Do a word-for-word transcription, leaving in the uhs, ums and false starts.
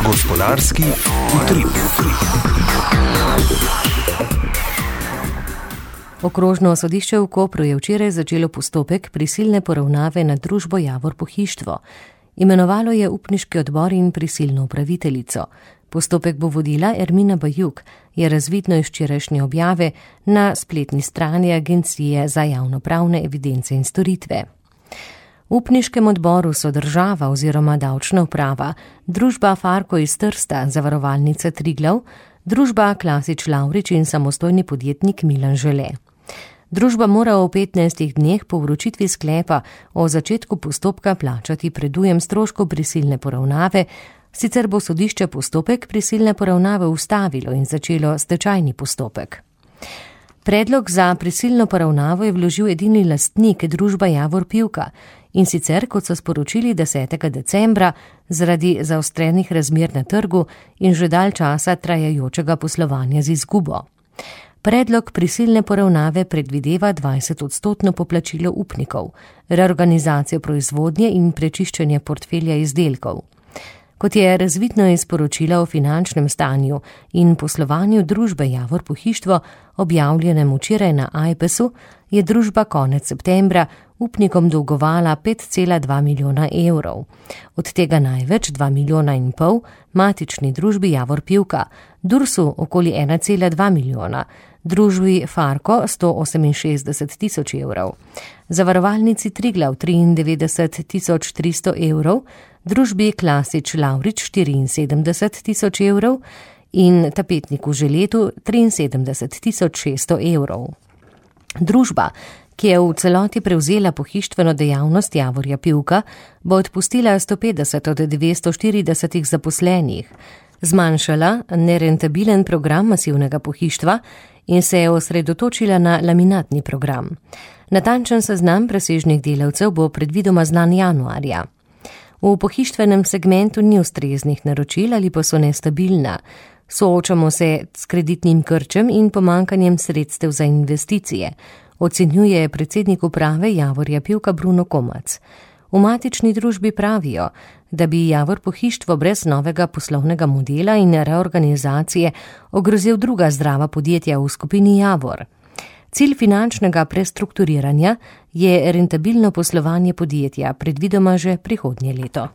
Gospodarski utrip. Okrožno sodišče v Kopru je včeraj začelo postopek prisilne poravnave nad družbo Javor Pohištvo. Imenovalo je upniški odbor in prisilno upraviteljico. Postopek bo vodila Ermina Bajuk, je razvidno iz včerajšnje objave na spletni strani Agencije za javnopravne evidence in storitve. V upniškem odboru so država oziroma davčna uprava, družba Farko iz Trsta, zavarovalnica Triglav, družba Klasič Lavrič in samostojni podjetnik Milan Žele. Družba mora v petnajstih dneh po vročitvi sklepa o začetku postopka plačati predujem stroškov prisilne poravnave, sicer bo sodišče postopek prisilne poravnave ustavilo in začelo stečajni postopek. Predlog za prisilno poravnavo je vložil edini lastnik družba Javor Pivka, in sicer, kot so sporočili desetega decembra, zaradi zaostrenih razmer na trgu in že dalj časa trajajočega poslovanja z izgubo. Predlog prisilne poravnave predvideva dvajset odstotno poplačilo upnikov, reorganizacijo proizvodnje in prečiščenje portfelja izdelkov. Kot je razvidno iz poročila o finančnem stanju in poslovanju družbe Javor Pohištvo, objavljenem včeraj na Ajpesu, je družba konec septembra upnikom dolgovala pet cela dva milijona evrov. Od tega največ dva milijona in pol matični družbi Javor Pivka, Dursu okoli ena cela dva milijona, družbi Farko sto oseminšestdeset tisoč evrov, zavarovalnici Triglav triindevetdeset tisoč tristo evrov, družbi Klasič Lavrič štiriinsedemdeset tisoč evrov in tapetniku Želetu triinsedemdeset tisoč šeststo evrov. Družba, ki je v celoti prevzela pohištveno dejavnost Javorja Pivka, bo odpustila sto petdeset od dvesto štirideset zaposlenih, zmanjšala nerentabilen program masivnega pohištva in se je osredotočila na laminatni program. Natančen seznam presežnih delavcev bo predvidoma znan januarja. V pohištvenem segmentu ni ustreznih naročil ali pa so nestabilna. Soočamo se s kreditnim krčem in pomankanjem sredstev za investicije, ocenjuje predsednik uprave Javorja Pivka Bruno Komac. V matični družbi pravijo, da bi Javor Pohištvo brez novega poslovnega modela in reorganizacije ogrozil druga zdrava podjetja v skupini Javor. Cilj finančnega prestrukturiranja je rentabilno poslovanje podjetja, predvidoma že prihodnje leto.